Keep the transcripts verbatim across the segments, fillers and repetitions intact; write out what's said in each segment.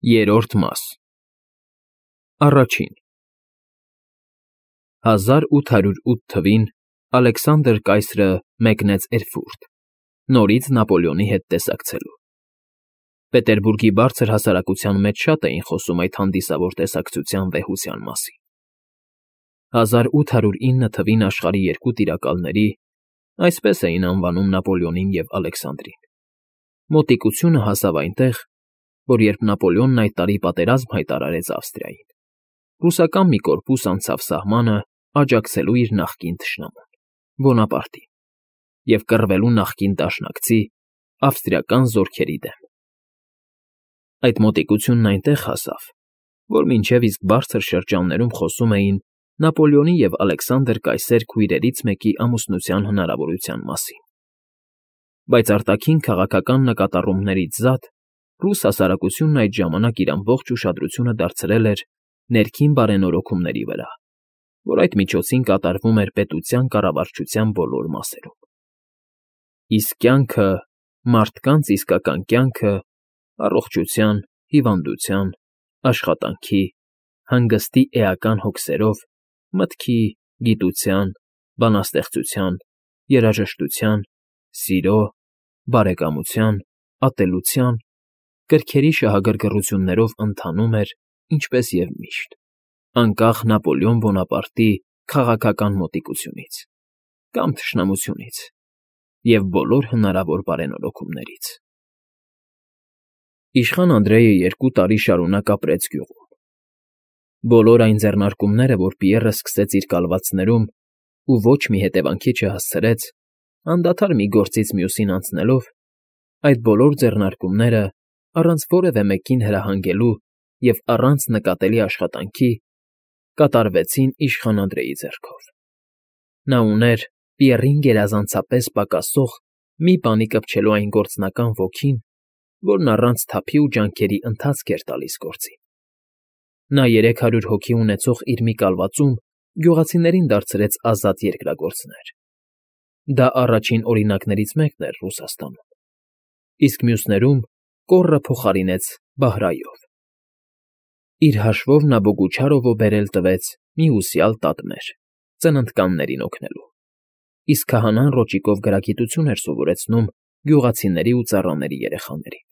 Երրորդ մաս Առաջին հազար ութ հարյուր ութ թվականին Ալեքսանդր կայսրը մեկնեց Էրֆուրտ, նորից Նապոլեոնի հետ տեսակցելու։ Պետերբուրգի բարձր հասարակության մեջ շատ էին խոսում այդ հանդիսավոր տեսակցության վեհության մասին։ հազար ութ հարյուր ինը թվականին աշխարհի երկու տիրակալների, այսպես էին անվանում Նապոլեոնին և Ալեքսանդրին, մոտիկությունը հասավ այնտեղ, որ երբ Նապոլեոնն այդ տարի պատերազմ հայտարարեց Ավստրիային, ռուսական մի կորպուս անցավ սահմանը աջակցելու իր նախկին թշնամուն՝ Բոնապարտին և կռվելու նախկին դաշնակցի՝ ավստրիական զորքերի դեմ։ Այդ մոտիկությունն այնտեղ հասավ, որ մինչև իսկ բարձր շրջաններում խոսում էին Նապոլեոնի և Ալեքսանդր կայսեր քույրերից մեկի ամուսնության հնարավորության մասին։ Բայց արտաքին քաղաքական նկատառումներից զատ ռուս հասարակությունն այդ ժամանակ իր ամբողջ ուշադրությունը դարձրել էր ներքին բարենորոգումների վրա, որ այդ միջոցին կատարվում էր պետության կառավարչության բոլոր մասերում։ Իսկ կյանքը, մարդկանց իսկական կյանքը, առողջության, հիվանդության, աշխատանքի, հանգստի էական հոգսերով, մտքի, գիտության, բանաստեղծության, երաժշտության, սիրո, բարեկամության, ատելության, կրքերի շահագրգռություններով ընթանում էր, ինչպես և միշտ, անկախ Նապոլեոն Բոնապարտի քաղաքական մոտիկությունից կամ թշնամությունից և բոլոր հնարավոր բարենորոգումներից։ Իշխան Անդրեյը երկու տարի շարունակ ապրեց գյուղում։ Բոլոր այն ձեռնարկումները, որ Պիեռը սկսեց իր կալվածներում ու ոչ մի հետևանքի չհասցրեց, անդադար մի գործից մյուսին անցնելով, այդ բոլոր ձեռնարկումները, առանց որևէ մեկին հրահանգելու և առանց նկատելի աշխատանքի, կատարվեցին իշխան Անդրեյի ձեռքով։ Նա ուներ Պիեռին գերազանցապես պակասող մի բանի կպչելու այն գործնական ոգին, որն առանց թափի ու ջանքերի ընթացք էր տալիս գործին։ Նա երեք հարյուր հոգի ունեցող իր մի կալվածում գյուղացիներին դարձրեց ազատ երկրագործներ. դա առաջին օրինակներից մեկն էր Ռուսաստանում, իսկ մյուսներում կոռը փոխարինեց Բահրայով։ Իր հաշվով նա Բոգուչարովը բերել տվեց մի ուսյալ տատմեր՝ ծննդկաններին օգնելու, իսկ քահանան ռոճիկով գրագիտություն էր սովորեցնում գյուղացիների ու ծառաների երեխաներին։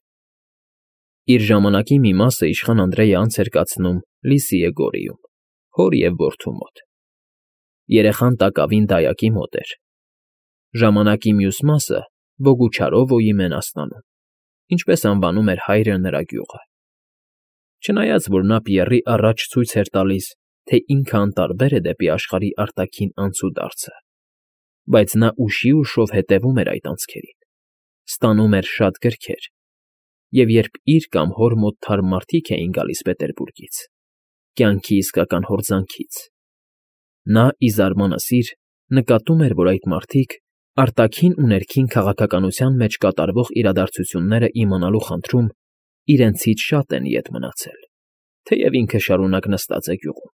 Իր ժամանակի մի մասը իշխան Անդրեյը անց էր կացնում Լիսիե գորիում, հոր և որդու մոտ։ Երեխան տակավին դայակի մոտ էր։ Ժամանակի մյուս մասը Բոգուչարովոյի մենաստանում, ինչպես անվանում էր հայրը նրա գյուղը։ Չնայած որ նա Պիեռի առաջ ցույց էր տալիս, թե ինքը անտարբեր է դեպի աշխարհի արտաքին անցուդարձը, բայց նա ուշի ուշով հետևում էր այդ անցքերին, ստանում էր շատ գրքեր, և երբ իր կամ հոր մոտ թարմ մարդիկ էին գալիս Պետերբուրգից, կյանքի իսկական հորձանքից, նա, ի զարմանս իր, նկատում էր, որ այդ մարդիկ արտաքին ու ներքին քաղաքականության մեջ կատարվող իրադարձությունները իմանալու խնդրում իրենցից շատ են ետ մնացել, թեև ինքը շարունակ նստած է գյուղում։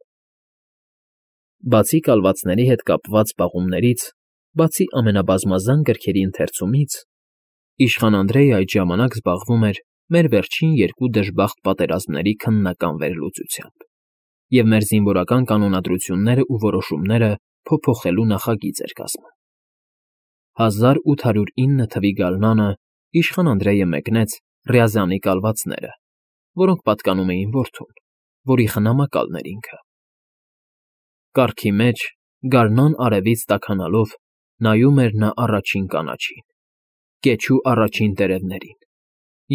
Բացի կալվածների հետ կապված պաղումներից, բացի ամենաբազմազան գրքերի ընթերցումից, իշխան Անդրեյը այդ ժամանակ զբաղվում էր մեր վերջին երկու դժբախտ պատերազմների քննական վերլուծությամբ և մեր զինվորական կանոնադրություններն ու որոշումները փոփոխելու նախագիծ էր կազմում։ հազար ութ հարյուր ինը թվականի գարնանը իշխան Անդրեյը մեկնեց Ռյազանի կալվածները, որոնք պատկանում էին որդուն, որի խնամակալն էր ինքը։ Կառքի մեջ, գարնան արևից տաքանալով, նայում էր նա առաջին կանաչին, կեչու առաջին տերևներին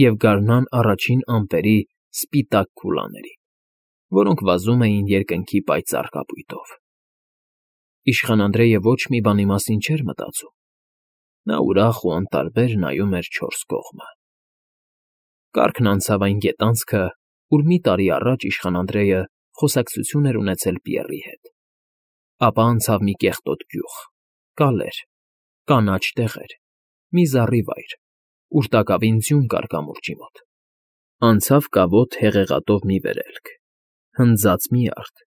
և գարնան առաջին ամպերի սպիտակ քուլաներին, որոնք վազում էին երկնքի պայծառ կապույտով։ Իշխան Անդրեյը ոչ մի բանի մասին չէր մտածում, նա ուրախ ու անտարբեր նայում էր չորս կողմը։ Կառքն անցավ այն գետանցքը, ուր մի տարի առաջ իշխան Անդրեյը խոսակցություն էր ունեցել Պիեռի հետ, ապա անցավ մի կեղտոտ գյուղ, կալեր, կանաչ տեղեր, մի զառիվայր, ուր տակավին ձյուն կար կամուրջի մոտ, անցավ կավոտ հեղեղատով մի վերելք, հնձած մի արդ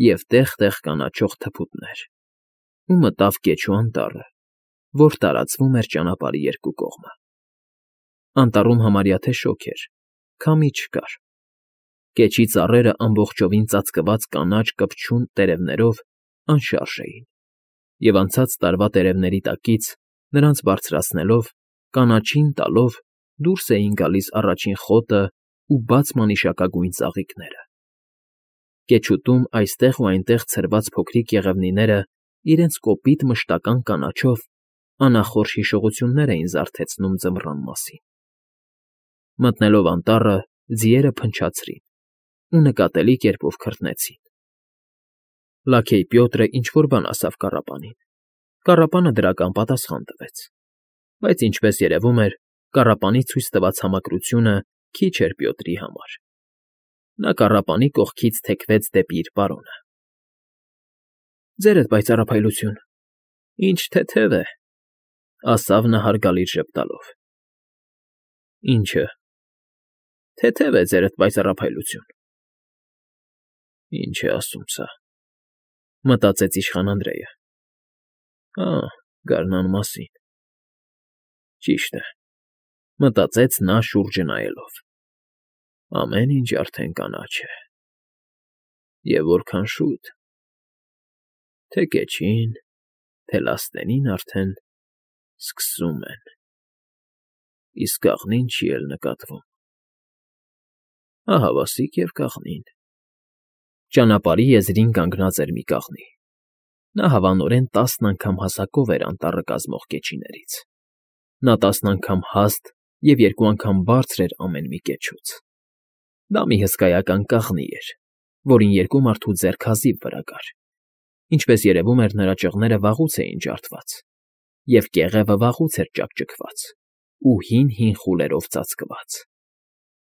և տեղ֊տեղ կանաչող թփուտներ, ու մտավ Կեչու անտառը, որ տարածվում էր ճանապարհի երկու կողմը։ Անտառում համարյա թե շոգ էր, քամի չկար, Կեչի ծառերը ամբողջովին ծածկված կանաչ կպչուն տերևներով անշարժ էին, և անցած տարվա տերևների տակից, նրանց բարձրացնելով, կանաչին տալով դուրս էին գալիս առաջին խոտն ու բաց մանիշակագույն ծաղիկները։ Կեչուտում այստեղ ու այնտեղ ցրված փոքրիկ եղևնիները իրենց կոպիտ մշտական կանաչով անախորժ հիշողություններ էին զարթեցնում ձմռան մասին։ Մտնելով անտառը, ձիերը փնչացրին ու նկատելի կերպով քրտնեցին։ Լաքեյ Պյոտրը ինչ֊որ բան ասավ կառապանին։ Կառապանը դրական պատասխան տվեց, բայց, ինչպես երևում էր, կառապանի ցույց տված համակրությունը քիչ էր Պյոտրի համար։ Նա կառապանի կողքից թեքվեց դեպի իր պարոնը։ ֊ Ձերդ պայծառափայլություն, ինչ թեթև է,֊ ասավ նա հարգալից ժպտալով։ ֊ Ի՞նչը։ ֊ Թեթև է ձերդ պայծառափայլություն։ «Ինչ է ասում սա,֊ մտածեց իշխան Անդրեյը։ Ա, գարնան մասին։ Ճիշտ է,֊ մտածեց նա շուրջը նայելով։ Ամեն ինչ արդեն կանաչ է։ Եվ որքան շուտ… Թե կեչին, թե լաստենին արդեն սկսում են, իսկ կաղնին չի էլ նկատվում։ Ահավասիկ և կաղնին… Ճանապարհի եզրին կանգնած էր մի կաղնի։ Նա հավանորեն տասն անգամ հասակով էր անտառը կազմող կեչիներից։ Նա տասն անգամ հաստ և երկու անգամ բարձր էր ամեն մի կեչուց։ Դա մի հսկայական կաղնի էր, որին երկու մարդու ձեռք հազիվ վրա կար։ Ինչպես երևում էր, նրա ճղները վաղուց էին ջարդված, և կեղևը վաղուց էր ճաքճքված ու հին֊հին խուլերով ծածկված։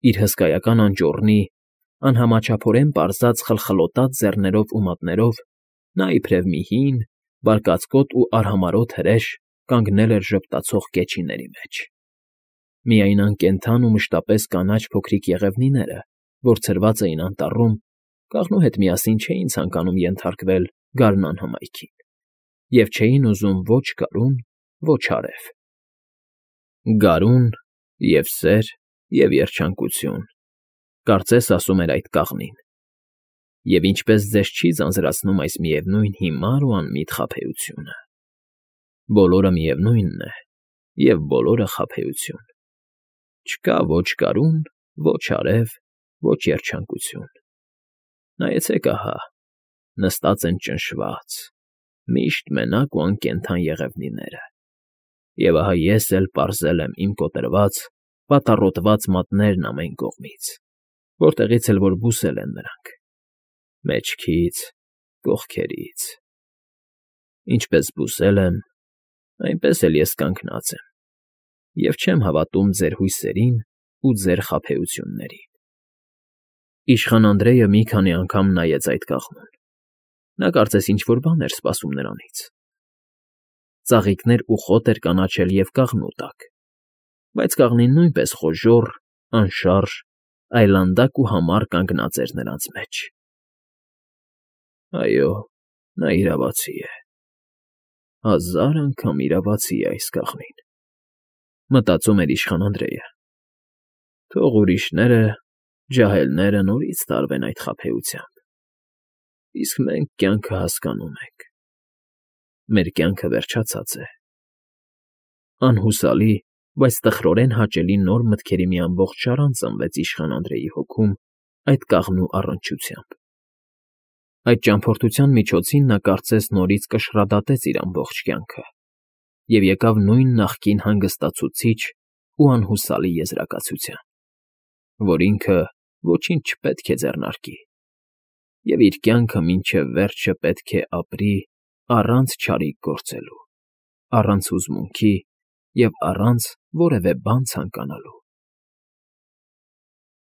Իր հսկայական անճոռնի, անհամաչափորեն պարզած խլխլոտած ձեռներով ու մատներով նա իբրև մի հին, բարկացկոտ ու արհամարհոտ հրեշ կանգնել էր ժպտացող կեչիների մեջ։ Միայն անկենդան ու մշտապես կանաչ փոքրիկ եղևնիները, որ ցրված էին անտառում, կաղնու հետ միասին չէին ցանկանում ենթարկվել գարնան հմայքին և չէին ուզում ոչ գարուն, ոչ արև։ «Գարուն և սեր և երջանկություն,֊ կարծես ասում էր այդ կաղնին,֊ և ինչպես ձեզ չի ձանձրացնում այս միևնույն հիմար ու անմիտ խաբեությունը։ Բոլորը միևնույնն է և բոլորը խաբեություն։ Չկա ոչ գարուն, ոչ արև, ոչ երջանկություն։ Նայեցեք ահա, նստած են ճնշված, միշտ մենակ ու անկենդան եղևնիները, և ահա ես էլ պարզել եմ իմ կոտրված, պատառոտված մատներն ամեն կողմից, որտեղից էլ որ բուսել են նրանք՝ մեջքից, կողքերից։ Ինչպես բուսել եմ, այնպես էլ ես կանգնած եմ և չեմ հավատում ձեր հույսերին ու ձեր խաբեություններին»։ Իշխան Անդրեյը մի քանի անգամ նայեց այդ կաղնուն։ Նա կարծես ինչ֊որ բան էր սպասում նրանից։ Ծաղիկներ ու խոտ էր կանաչել և կաղնու տակ, բայց կաղնին նույնպես խոժոռ, անշարժ, այլանդակ ու համառ կանգնած էր նրանց մեջ։ «Այո, նա իրավացի է, հազար անգամ իրավացի է այս կաղնին,֊ մտածում էր իշխան Անդրեյը։ Թող ուրիշները, ջահելները նորից տարվեն այդ խաբեությամբ, իսկ մենք կյանքը հասկանում ենք։ Մեր կյանքը վերջացած է։ Անհուսալի, բայց տխրորեն հաճելի նոր մտքերի մի ամբողջ շարան ծնվեց իշխան Անդրեյի հոգում այդ կաղնու առնչությամբ։ Այդ ճամփորդության միջոցին նա կարծես նորից կշռադատեց իր ամբողջ կյանքը և եկավ նույն նախկին հանգստացուցիչ ու անհուսալի եզրակացության, որ ինքը ոչինչ չպետք է ձեռնարկի և իր կյանքը մինչև վերջը պետք է ապրի առանց չարիք գործելու, առանց հուզմունքի և առանց որևէ բան ցանկանալու։